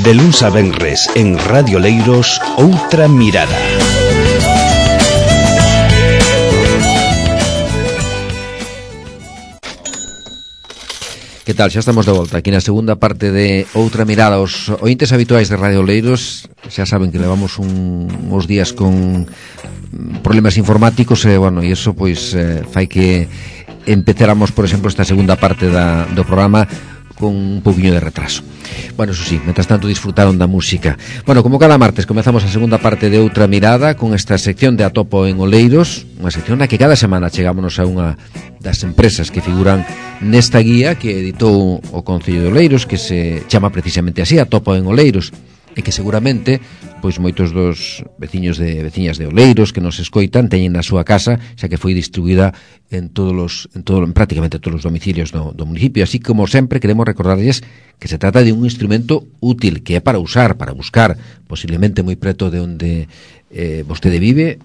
De luns a venres en Radio Leiros, Outra Mirada. Que tal? Xa estamos de volta aquí na segunda parte de Outra Mirada. Os ointes habituais de Radio Leiros xa saben que levamos uns días con problemas informáticos e, bueno, e iso pois fai que empezáramos, por exemplo, esta segunda parte do programa con un poquinho de retraso. Bueno, eso sí, mentras tanto disfrutaron da música. Bueno, como cada martes comezamos a segunda parte de Outra Mirada con esta sección de Atopo en Oleiros, unha sección na que cada semana chegámonos a unha das empresas que figuran nesta guía que editou o Concello de Oleiros, que se chama precisamente así, Atopo en Oleiros, e que seguramente pois moitos dos veciños de veciñas de Oleiros que nos escoitan teñen na súa casa, xa que foi distribuída en prácticamente todos os domicilios do municipio. Así como sempre queremos recordarlles que se trata de un instrumento útil que é para usar, para buscar, posiblemente moi preto de onde vostede vive,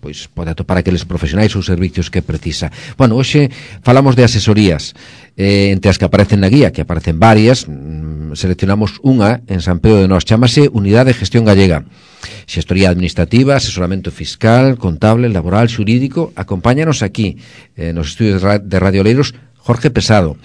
pois pode atopar aqueles profesionais ou servicios que precisa. Bueno, hoxe falamos de asesorías, entre as que aparecen na guía, que aparecen varias. Seleccionamos unha en San Pedro de Nós, chamase Unidade de Gestión Gallega. Xestoría administrativa, asesoramento fiscal, contable, laboral, xurídico. Acompáñanos aquí nos estudios de Radio Leiros Jorge Pesado,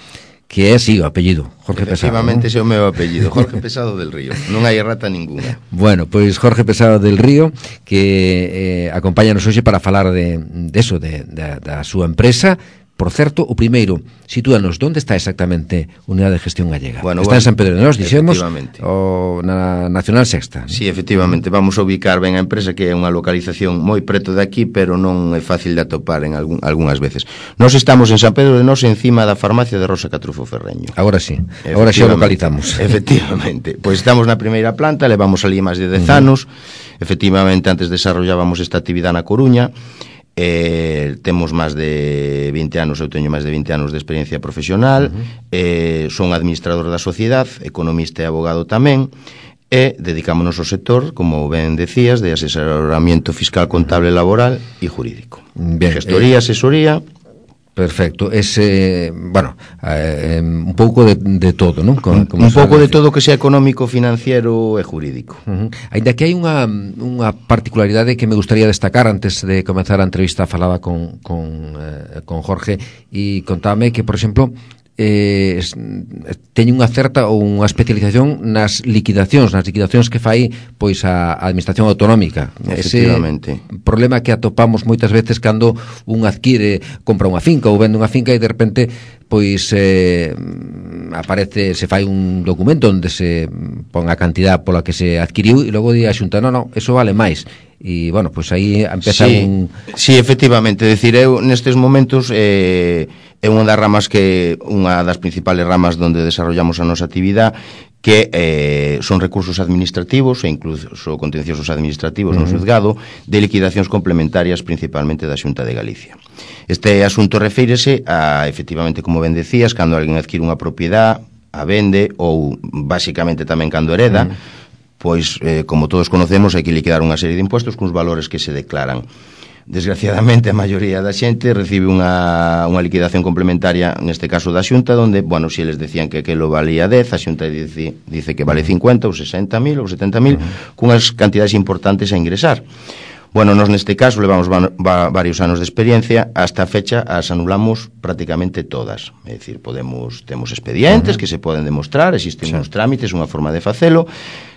que é así o apellido, Jorge Pesado. Efectivamente, ese é o meu apellido, Jorge Pesado del Río. Non hai errata ninguna. Bueno, pois Jorge Pesado del Río, que acompáñanos hoxe para falar de eso, da súa empresa. Por certo, o primeiro, sitúanos, onde está exactamente Unidade de Gestión Gallega? Bueno, está en San Pedro de Nós, dixemos, o na Nacional Sexta. Sí, efectivamente, vamos a ubicar ben a empresa, que é unha localización moi preto de aquí, pero non é fácil de atopar en algunhas veces. Nós estamos en San Pedro de Nós, encima da farmacia de Rosa Catrufo Ferreño. Agora sí, agora xa o localizamos. Efectivamente, pois estamos na primeira planta, levamos ali máis de 10 anos. Efectivamente, antes desarrollábamos esta actividade na Coruña. Temos máis de 20 anos, eu teño máis de 20 anos de experiencia profesional. Son administrador da sociedade, economista e abogado tamén, e dedicámonos ao sector, como ben decías, de asesoramiento fiscal, contable, laboral e jurídico. Bien, gestoría, asesoría. Perfecto, bueno, un pouco de todo, non? Un pouco de todo que sea económico, financiero e jurídico. Ainda que hai unha particularidade que me gustaría destacar antes de comenzar a entrevista. Falaba con Jorge e contame que, por exemplo, teñen unha certa ou unha especialización nas liquidacións que fai pois a administración autonómica. Efectivamente. Ese problema que atopamos moitas veces cando un compra unha finca ou vende unha finca e de repente pois aparece, se fai un documento onde se pon a cantidad pola que se adquiriu e logo di a Xunta, non, eso vale máis. E, bueno, pois aí empeza Sí, efectivamente, decir, eu nestes momentos é unha das ramas unha das principales ramas onde desarrollamos a nosa actividade, que son recursos administrativos e incluso contenciosos administrativos no xuzgado de liquidacións complementarias, principalmente da Xunta de Galicia. Este asunto refírese a, efectivamente, como ben decías, cando alguén adquire unha propiedade, a vende, ou basicamente tamén cando hereda, pois, como todos conocemos, hai que liquidar unha serie de impuestos cuns valores que se declaran. Desgraciadamente, a maioría da xente recibe unha liquidación complementaria, neste caso da Xunta, donde, bueno, se eles decían que aquilo valía 10, a Xunta dice que vale 50 ou 60.000 ou 70.000, cunhas cantidades importantes a ingresar. Bueno, nos neste caso levamos varios anos de experiencia, hasta a fecha as anulamos prácticamente todas. É dicir, temos expedientes que se poden demostrar, existen uns trámites, unha forma de facelo.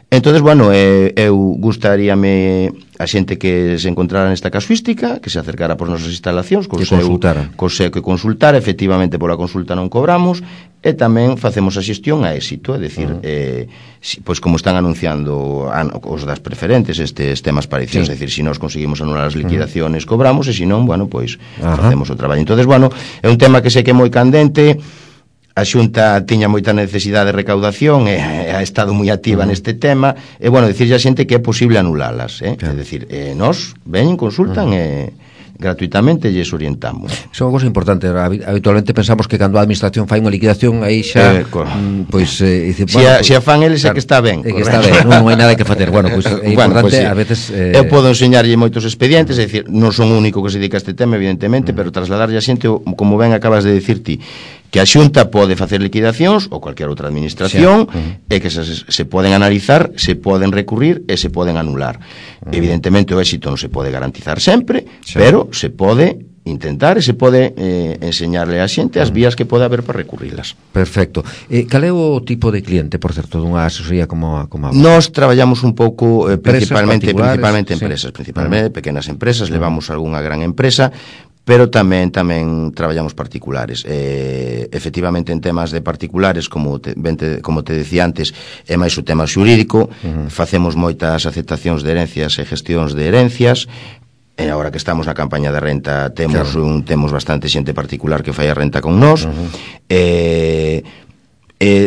Entonces, bueno, eu gustaríame a xente que se encontrara nesta casuística, que se acercara por nosas instalacións, que consultara, efectivamente pola consulta non cobramos, e tamén facemos a xestión a éxito, é dicir, pois como están anunciando os das preferentes estes temas parecidos, é dicir, se nós conseguimos anular as liquidaciones cobramos, e se non, bueno, pois facemos o traballo. Entonces, bueno, é un tema que sei que é moi candente. A Xunta tiña moita necesidade de recaudación e ha estado moi activa neste tema, e, bueno, dicirlle a xente que é posible anulalas, é dicir, nós veñen, consultan e gratuitamente lles orientamos. Iso é unha cosa importante. Habitualmente pensamos que cando a administración fai unha liquidación aí xa pois dice, bueno, se a fan eles é que está ben, que está ben, non hai nada que facer. Bueno, pois é importante, a veces eu podo enseñarlle moitos expedientes, é dicir, non son o único que se dedica a este tema, evidentemente, pero trasladarlle a xente, como ben acabas de dicir ti, que a Xunta pode facer liquidacións ou cualquier outra administración e que se poden analizar, se poden recurrir e se poden anular. Evidentemente o éxito non se pode garantizar sempre, pero se pode intentar e se pode enseñarle a xente as vías que pode haber para recurrilas. Perfecto. Cal é o tipo de cliente, por certo, dunha asesoría como a Nós traballamos un pouco principalmente empresas, principalmente pequenas empresas, levamos algunha gran empresa, pero tamén traballamos particulares. Efectivamente, en temas de particulares, como te decía antes, é máis o tema xurídico, facemos moitas aceptacións de herencias e gestións de herencias. E agora que estamos na campaña de renta temos bastante xente particular que fai a renta con nós.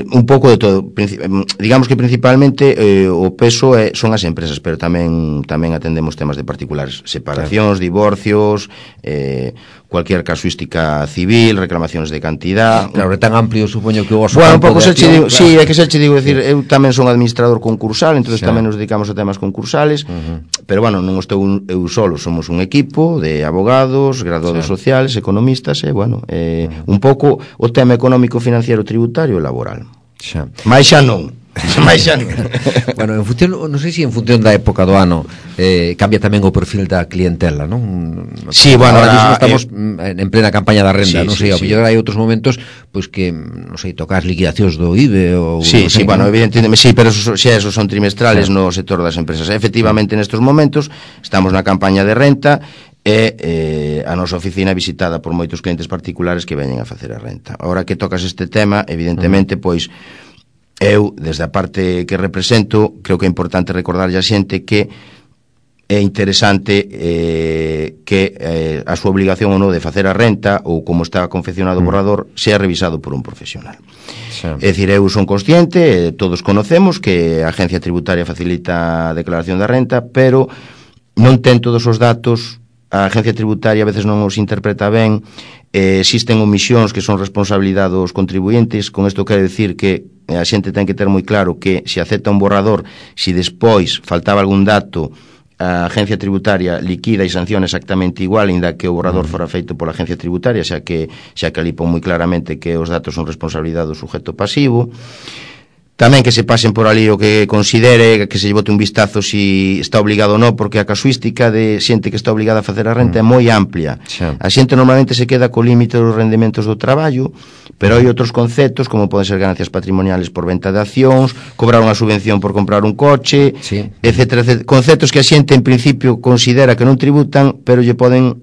Un pouco de todo. Digamos que principalmente o peso son as empresas, pero tamén atendemos temas de particulares, separacións, divorcios, cualquier casuística civil, reclamacións de cantidad. Claro, é tan amplio, supoño que o vosso un campo pouco de acción. Sí, é que se digo, decir, eu tamén son administrador concursal, entonces tamén nos dedicamos a temas concursales, pero bueno, non estou eu solo, somos un equipo de abogados, graduados sociales, economistas, e bueno, un pouco o tema económico, financiero, tributario e laboral. Mais xa non. Bueno, en función, non sei se en función da época do ano cambia tamén o perfil da clientela, non? Sí, bueno, ahora estamos en plena campaña da renda, non sei, ao mellor hai outros momentos pois que, non sei, tocar liquidacións do IBE ou bueno, evidentemente, sí, pero esos son trimestrales no sector das empresas. Efectivamente, nestes momentos estamos na campaña de renta e a nosa oficina é visitada por moitos clientes particulares que veñen a facer a renta. Ahora que tocas este tema, evidentemente, pois eu, desde a parte que represento, creo que é importante recordarlle a xente que é interesante que a súa obligación ou non de facer a renta ou como está confeccionado o borrador sea revisado por un profesional. É dicir, eu son consciente, todos conocemos que a Agencia Tributaria facilita a declaración da renta, pero non ten todos os datos, a Agencia Tributaria a veces non os interpreta ben, existen omisións que son responsabilidade dos contribuyentes. Con isto quero decir que a xente ten que ter moi claro que se acepta un borrador, se despois faltaba algún dato, a Agencia Tributaria liquida e sanciona exactamente igual, ainda que o borrador fora feito pola Agencia Tributaria, xa que ali pon moi claramente que os datos son responsabilidade do sujeto pasivo. Tamén que se pasen por ali o que considere, que se lle bote un vistazo si está obligado ou non, porque a casuística de xente que está obligada a facer a renta é moi amplia. A xente normalmente se queda co límite dos rendementos do traballo, pero hai outros conceptos, como poden ser ganancias patrimoniales por venta de accións, cobrar unha subvención por comprar un coche, etcétera, etcétera. Conceptos que a xente en principio considera que non tributan, pero lle poden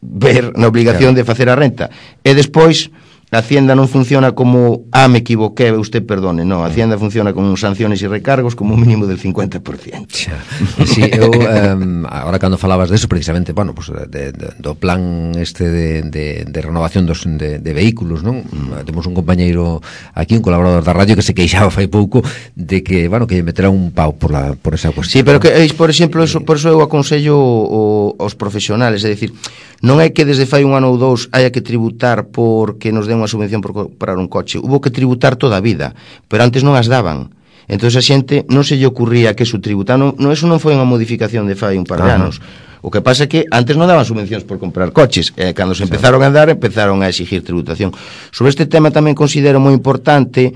ver na obligación de facer a renta. E despois a Hacienda non funciona como me equivoqué, usted perdone, non, a Hacienda funciona con sanciones e recargos como un mínimo del 50%. Sí, eu agora cando falabas deso, precisamente, bueno, pues, do plan este de renovación de vehículos, non? Temos un compañeiro aquí, un colaborador da radio que se queixaba fai pouco de que, bueno, que meterá un pau por esa cuestión. Sí, pero que, por exemplo, por eso eu aconsello aos profesionales, é dicir, non é que desde fai un ano ou dous haya que tributar porque nos den unha subvención por comprar un coche. Hubo que tributar toda a vida, pero antes non as daban. Entón a xente non se lle ocurría que eso tributar. Eso non foi unha modificación de fai un par de anos. O que pasa é que antes non daban subvencións por comprar coches. Cando se empezaron a dar, empezaron a exigir tributación. Sobre este tema tamén considero moi importante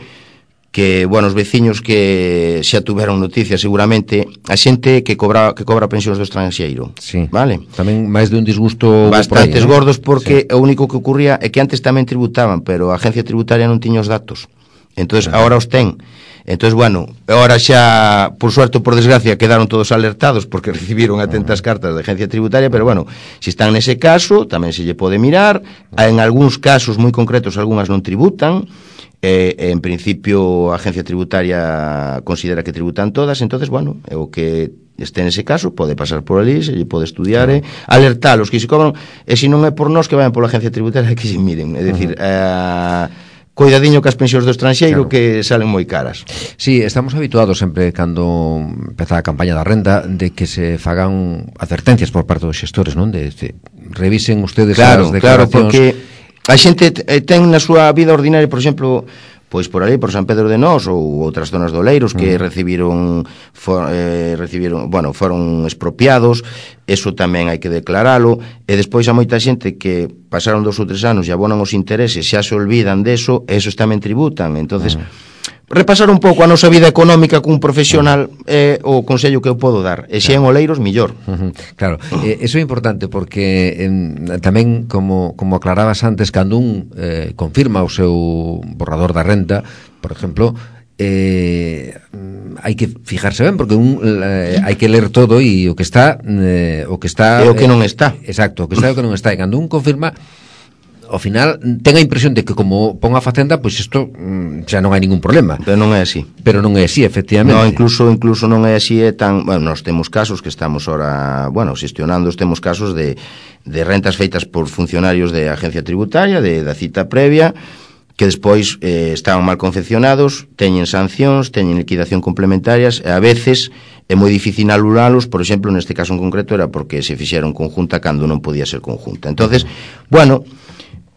que, bueno, os veciños que xa tuveron noticias seguramente, a xente que cobra pensións do estranxeiro, vale? Tamén máis de un disgusto bastantes gordos, porque o único que ocurría é que antes tamén tributaban, pero a Agencia Tributaria non tiña os datos. Entonces, agora os ten. Entonces, bueno, agora xa, por suerte ou por desgracia, quedaron todos alertados porque recibiron atentas cartas da Agencia Tributaria, pero bueno, se están nese caso, tamén se lle pode mirar. En algúns casos moi concretos, algunhas non tributan. En principio a Agencia Tributaria considera que tributan todas, entonces, bueno, o que este nese caso pode pasar por ali, se lle pode estudiar, alertar os que se cobran, e se non é por nós que vayan pola Agencia Tributaria que se miren, é dicir, coidadiño que as pensións do estranxeiro que salen moi caras. Sí, estamos habituados sempre cando empeza a campaña da renda de que se fagan advertencias por parte dos xestores, non? De revisen ustedes as declaracións. Claro, porque a xente ten na súa vida ordinaria, por exemplo, pois por ali, por San Pedro de Nós ou outras zonas do Oleiros que foron expropiados. Eso tamén hai que declaralo. E despois a moita xente que pasaron 2 ou 3 anos e abonan os intereses, xa se olvidan deso, e esos tamén tributan. Entonces, repasar un pouco a nosa vida económica cun profesional é o consello que eu podo dar. E se en Oleiros, millor. Claro, eso é importante porque tamén, como aclarabas antes, cando un confirma o seu borrador da renta, por exemplo, hai que fijarse ben porque hai que ler todo e o que está e o que non está. Exacto, o que está e o que non está. E cando un confirma, ao final ten a impresión de que como pon a facenda, pois isto xa non hai ningún problema. Pero non é así. Pero non é así, efectivamente. No, incluso non é así, é tan, bueno, nós temos casos que estamos ahora, xestionando, temos casos de rentas feitas por funcionarios de agencia tributaria, da cita previa, que despois estaban mal confeccionados, teñen sancións, teñen liquidación complementarias, e a veces é moi difícil anulalos. Por exemplo, neste caso en concreto era porque se fixeron conjunta cando non podía ser conjunta. Entonces, bueno,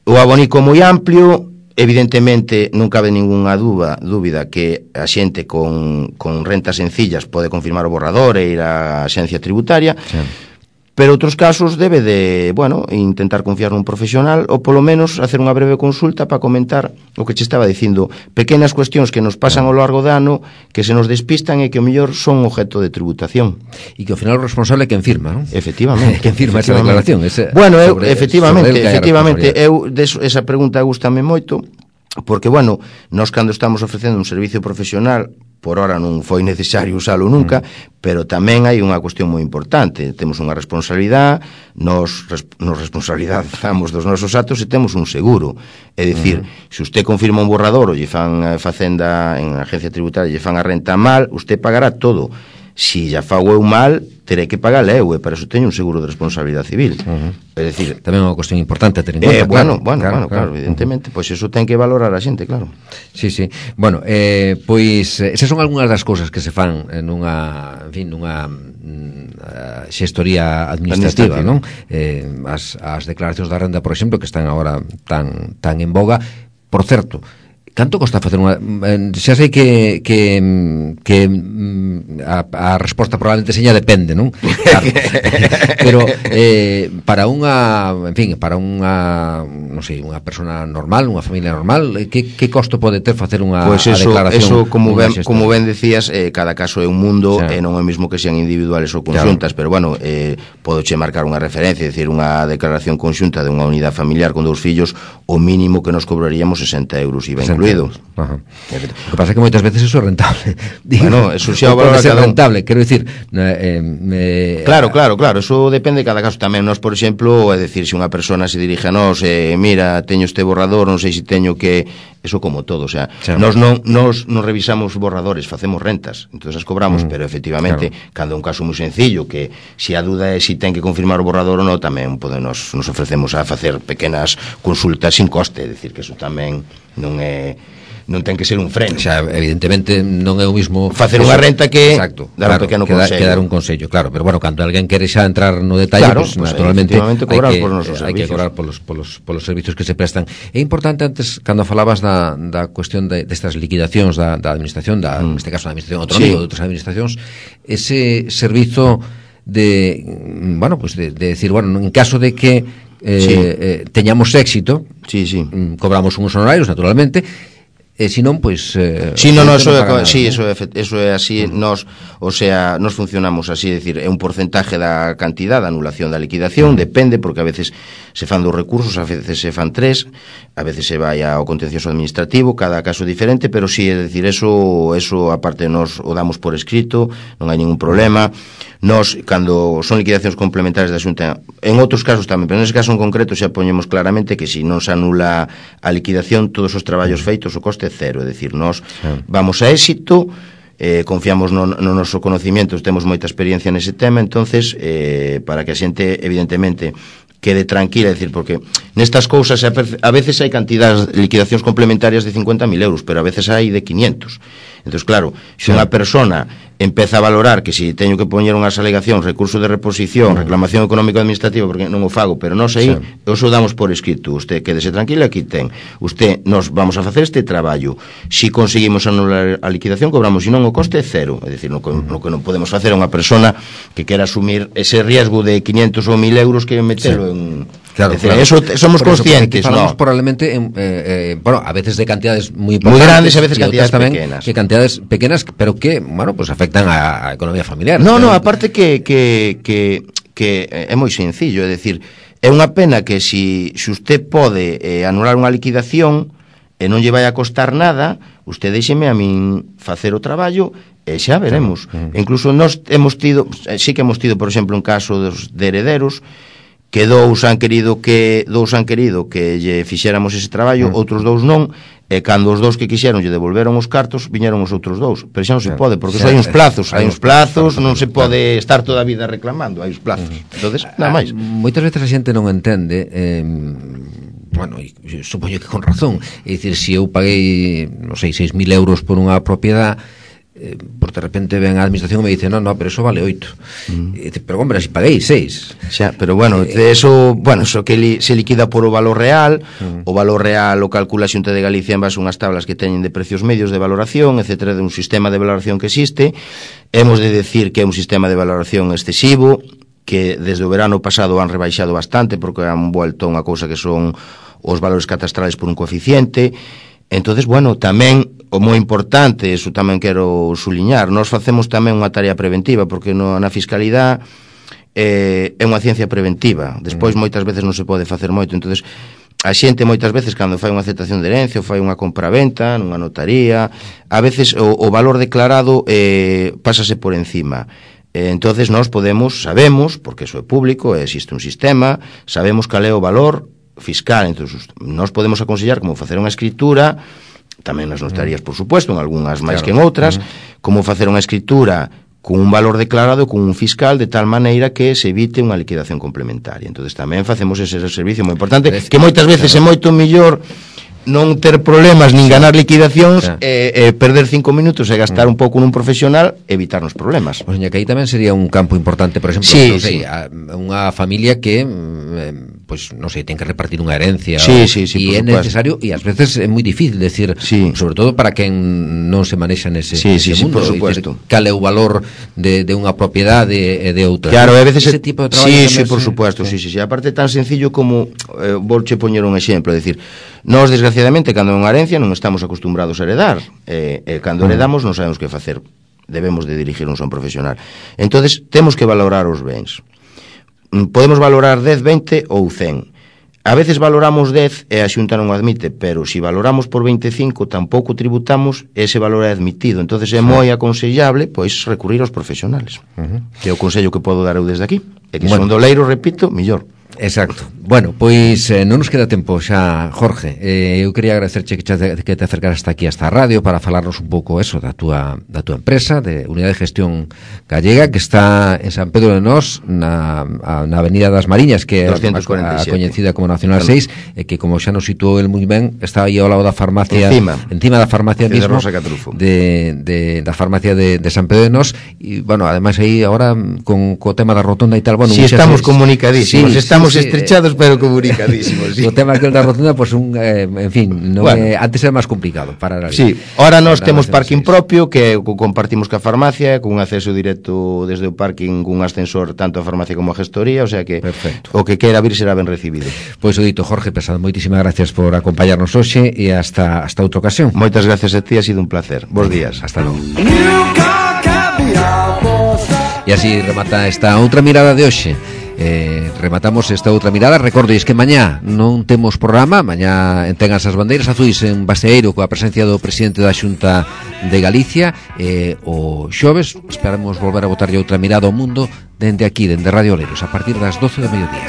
o abonico moi amplio, evidentemente non cabe ningunha dúbida que a xente con rentas sencillas pode confirmar o borrador e ir á axencia tributaria, pero outros casos debe de, intentar confiar nun profesional ou polo menos hacer unha breve consulta para comentar o que che estaba dicindo, pequenas cuestións que nos pasan ao largo do ano que se nos despistan e que o mellor son objeto de tributación. E que ao final o responsable é quen firma, non? Efectivamente. Quen firma esa declaración. Efectivamente, esa pregunta gústame moito, porque, nós cando estamos ofrecendo un servicio profesional, por hora non foi necesario usalo nunca, pero tamén hai unha cuestión moi importante. Temos unha responsabilidade, nos responsabilizamos dos nosos actos e temos un seguro. É dicir, se usted confirma un borrador ou lle fan facenda en a agencia tributaria, lle fan a renta mal, usted pagará todo. Si ya fago eu mal, terei que pagar eu, e para eso teño un seguro de responsabilidade civil. É dicir, tamén é unha cuestión importante a ter en conta. Claro, evidentemente, pois eso ten que valorar a xente, claro. Sí. Bueno, pois esas son algunhas das cousas que se fan nunha xestoría administrativa, non? As declaracións da renda, por exemplo, que están agora tan en boga. Por certo, canto costa facer unha... xa sei que a resposta probablemente seña depende, non? Claro. Pero para unha, non sei, unha persona normal, unha familia normal, que costo pode ter facer unha declaración? Eso, como ben decías, cada caso é un mundo, e non é o mesmo que sean individuales ou conxuntas, pero podoche marcar unha referencia, é dicir, unha declaración conxunta de unha unidade familiar con 2 fillos, o mínimo que nos cobraríamos 60 euros IVA incluído. O que pasa é que moitas veces eso é rentable. Eso xa o valor pode ser rentable, quero dicir, Claro, eso depende de cada caso tamén. Nós, por exemplo, é dicir, se unha persona se dirige a nós, mira, teño este borrador, non sei se teño que... Eso como todo, o sea, nós non revisamos borradores, facemos rentas, entonces as cobramos, pero efectivamente, cando é un caso moi sencillo, que se a duda é se ten que confirmar o borrador ou non, tamén nos ofrecemos a facer pequenas consultas sin coste, é dicir, que eso tamén non ten que ser un freno. Xa, evidentemente non é o mismo facer unha renta que dar un pequeno consello. Que dar un consello, claro, pero cando alguén quere xa entrar no detalle, pues, naturalmente hai que cobrar polos servicios que se prestan. É importante, antes, cando falabas da cuestión destas liquidacións da administración, neste caso da administración autonómica ou de outras administracións, ese servizo de decir, en caso de que teñamos éxito, cobramos uns honorarios, naturalmente, se non, pois... eso é así. Nos funcionamos así, é dicir, é un porcentaje da cantidad da anulación da liquidación, depende, porque a veces se fan 2 recursos, a veces se fan 3, a veces se vai ao contencioso administrativo, cada caso é diferente, pero sí, é dicir, eso aparte nos o damos por escrito, non hai ningún problema. Nos, cando son liquidacións complementarias da Xunta, en outros casos tamén, pero nese caso en concreto xa poñemos claramente que se non se anula a liquidación, todos os traballos feitos, o coste é cero, é dicir, nos vamos a éxito, confiamos no noso conocimiento, temos moita experiencia nese tema, entonces para que a xente evidentemente quede tranquila, é dicir, porque nestas cousas a veces hai cantidades de liquidacións complementarias de 50.000 euros, pero a veces hai de 500. Entón, claro, se unha persona empeza a valorar que si teño que poñer unhas alegacións, recurso de reposición, reclamación económico-administrativa, porque non o fago, pero nós aí os o damos por escrito. Usted quédese tranquila, aquí ten. Usted, nos vamos a facer este traballo. Si conseguimos anular a liquidación, cobramos, se non o coste é cero. É dicir, no que non podemos facer a unha persona que quera asumir ese riesgo de 500 ou 1.000 euros que metelo en... Claro, decir, claro. Eso somos conscientes, falamos ¿no? Probablemente bueno, a veces de cantidades muy importantes, muy grandes, a veces y cantidades tamén, pequenas. Que cantidades pequenas, pero que, bueno, pues afectan a economía familiar. No, aparte que é moi sencillo, é decir, é unha pena que si usted pode anular unha liquidación e non lle vai a costar nada, usted deixeme a min facer o traballo e xa veremos. Incluso nós hemos tido, sí que hemos tido, por exemplo, un caso de herederos que dous han querido que lle fixéramos ese traballo, outros dous non, e cando os dous que quixeron lle devolveron os cartos, viñeron os outros dous, pero xa non se pode, porque hai uns plazos, non se pode estar toda a vida reclamando, hai uns plazos. Entonces, nada máis. Moitas veces a xente non entende, bueno, supoño que con razón, é dicir, se eu paguei, non sei, 6.000 euros por unha propiedade, por de repente ven a administración e me dice no, pero eso vale 8. Pero hombre, si paguei 6. Xa, pero bueno, eso que se liquida por o valor real. O valor real o calcula a Xunta de Galicia en base a unhas tablas que teñen de precios medios de valoración, etcétera, de un sistema de valoración que existe. Hemos de decir que é un sistema de valoración excesivo, que desde o verano pasado han rebaixado bastante porque han vuelto a unha cousa que son os valores catastrales por un coeficiente. Entonces, bueno, tamén o moi importante, eso tamén quero suliñar, nós facemos tamén unha tarea preventiva, porque na fiscalidade é unha ciencia preventiva. Despois moitas veces non se pode facer moito. Entonces, a xente moitas veces cando fai unha aceptación de herencia ou fai unha compraventa nunha notaría, a veces o valor declarado pásase por encima. Entonces nós sabemos, porque iso é público, existe un sistema, sabemos cal é o valor fiscal. Entonces nós podemos aconsellar como facer unha escritura, tamén nas notarías, por supuesto, en algunhas máis que en outras, como facer unha escritura con un valor declarado, con un fiscal, de tal maneira que se evite unha liquidación complementaria. Entonces tamén facemos ese servicio moi importante, que moitas veces é moito mellor non ter problemas nin ganar liquidacións, perder 5 minutos e gastar un pouco nun profesional, evitarnos problemas. Pois que aí tamén sería un campo importante, por exemplo, unha familia que pois non sei, ten que repartir unha herencia, e é necesario, e ás veces é moi difícil decir, sobre todo para quen non se manexa nese mundo, por supuesto. Cal é o valor de unha propiedade e de outra. Claro, a veces ese tipo de traballo por supuesto, aparte tan sencillo como volche poñer un exemplo, é dicir, nós desgraciadamente cando é unha herencia non estamos acostumbrados a heredar, cando heredamos non sabemos que facer, debemos de dirigirnos a un profesional. Entonces temos que valorar os bens. Podemos valorar 10, 20 ou 100. A veces valoramos 10 e a Xunta non o admite, pero se valoramos por 25 tampouco tributamos, ese valor é admitido. Entonces é moi aconsellable pois recurrir aos profesionales, que é o consello que podo dar eu desde aquí, e que son doleiro, repito, millor. Exacto. Bueno, pois non nos queda tempo xa, Jorge. Eu quería agradecerche que te acercaras hasta aquí, hasta a radio, para falarnos un pouco eso da túa empresa, de Unidade de Gestión Gallega, que está en San Pedro de Nós, na Avenida das Mariñas, que é a coñecida como Nacional 6, e que, como xa nos situou el moi ben, está aí ao lado da farmacia, encima da farmacia mismo, da farmacia de San Pedro de Nós, e, bueno, ademais aí, agora, co tema da rotonda e tal, bueno, si estamos comunicadísimos, estamos estrechados pero comunicadísimos. O tema que da rotunda, pues en fin, antes era máis complicado para ahora nós temos parking propio que compartimos ca farmacia, con un acceso directo desde o parking, con un ascensor tanto a farmacia como a gestoría, o sea que o que queira vir será ben recibido. Pois o dito, Jorge Pesado, moitísimas gracias por acompañarnos hoxe e hasta outra ocasión. Moitas gracias a ti, ha sido un placer. Bos días. Hasta logo. E así remata esta outra mirada de hoxe. Rematamos esta outra mirada. Recordéis que mañá non temos programa. Mañá tengas as bandeiras azuis en Baseeiro coa presencia do presidente da Xunta de Galicia. O xoves esperamos volver a botarlle outra mirada ao mundo dende aquí, dende Radio Oleiros, a partir das 12 do mediodía.